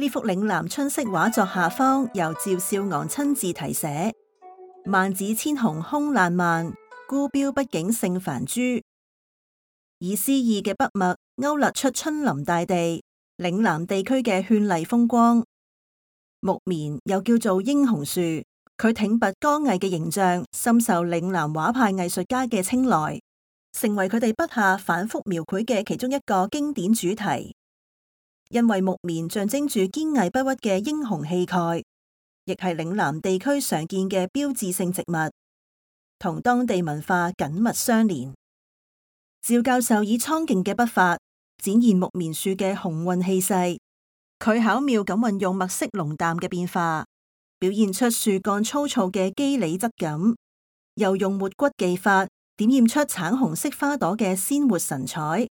呢幅嶺南春色畫作下方由趙少昂親自題寫：萬紫千紅空爛漫，孤標不景勝繁株。以詩意嘅筆墨勾勒出春臨大地、嶺南地區嘅絢麗風光。木棉又叫做英雄樹，佢挺拔剛毅嘅形象深受嶺南畫派藝術家嘅青睞，成為佢哋筆下反覆描繪嘅其中一個經典主題。因為木棉象徵住堅毅不屈嘅英雄氣概，亦係嶺南地區常見嘅標誌性植物，同當地文化緊密相連。趙教授以蒼勁嘅筆法展現木棉樹嘅雄渾氣勢，佢巧妙咁運用墨色濃淡嘅變化，表現出樹幹粗糙嘅肌理質感，又用抹骨技法點染出橙紅色花朵嘅鮮活神采。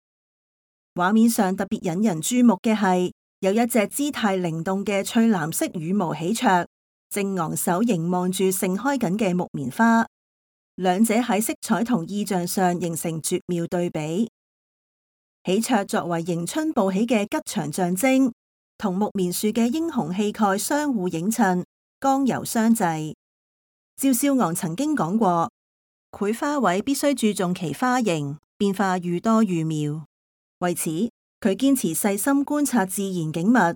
畫面上特別引人注目嘅係，有一隻姿態靈動嘅翠藍色羽毛喜鵲，正昂首凝望住盛開緊嘅木棉花，兩者喺色彩同意象上形成絕妙對比。喜鵲作為迎春報喜嘅吉祥象徵，同木棉樹嘅英雄氣概相互映襯，剛柔相濟。趙少昂曾經講過，繪花卉必須注重其花型，變化愈多愈妙。為此，佢堅持細心觀察自然景物，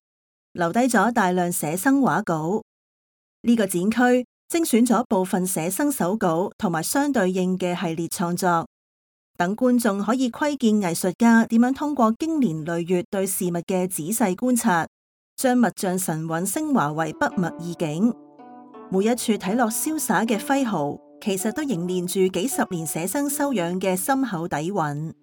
留低咗大量寫生畫稿。呢個展區精選咗部分寫生手稿同埋相對應嘅系列創作，等觀眾可以窺見藝術家點樣通過經年累月對事物嘅仔細觀察，將物象神韻升華為筆墨意境。每一處睇落瀟灑嘅揮毫，其實都凝練住幾十年寫生修養嘅深厚底蘊。